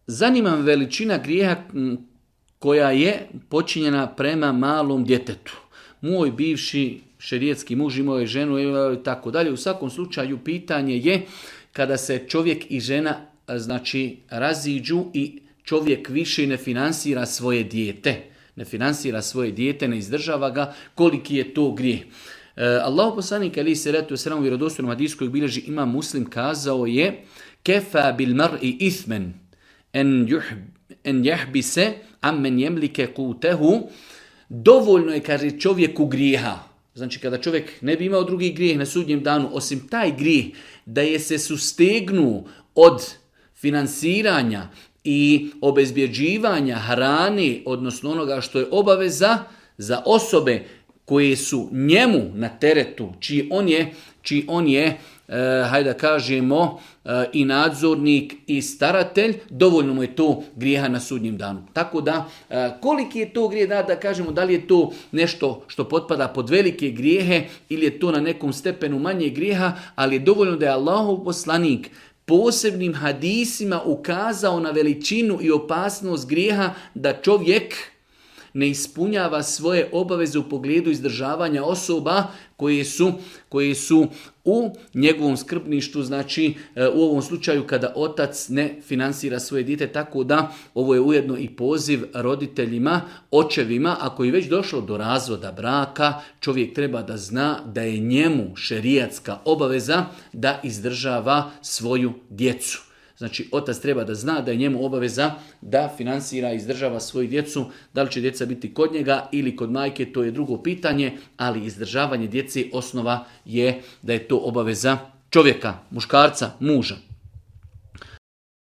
Zanima me veličina grijeha koja je počinjena prema malom djetetu. Moj bivši šerijetski muž imao je ženu i tako dalje. U svakom slučaju pitanje je kada se čovjek i žena raziđu i čovjek više ne finansira svoje dijete. Ne finansira svoje dijete, ne izdržava ga, koliki je to grijeh. Allahu poslanik alejhi selatu vesselam u vjerodostojnom hadisu kojeg bilježi Imam Muslim kazao je: "Kefa bil mar'i ithmen en yahbise ammen yemlike qutehu." Dovoljno je, kaže, čovjeku grijeha. Znači kada čovjek ne bi imao drugi grijeh na sudnjem danu, osim taj grijeh da je se sustegnu od finansiranja i obezbjeđivanja hrane, odnosno onoga što je obaveza za osobe koje su njemu na teretu, čiji on je hajde da kažemo, i nadzornik i staratelj, dovoljno mu je to grijeha na sudnjem danu. Tako da, koliki je to grijeh, da kažemo, da li je to nešto što potpada pod velike grijehe ili je to na nekom stepenu manje grijeha, ali je dovoljno da je Allahov poslanik posebnim hadisima ukazao na veličinu i opasnost grijeha da čovjek ne ispunjava svoje obaveze u pogledu izdržavanja osoba koje su u njegovom skrbništvu, znači u ovom slučaju kada otac ne finansira svoje dijete, tako da ovo je ujedno i poziv roditeljima, očevima, ako je već došlo do razvoda braka, čovjek treba da zna da je njemu šerijatska obaveza da izdržava svoju djecu. Znači, otac treba da zna da je njemu obaveza da finansira i izdržava svoju djecu. Da li će djeca biti kod njega ili kod majke, to je drugo pitanje, ali izdržavanje djece osnova je da je to obaveza čovjeka, muškarca, muža.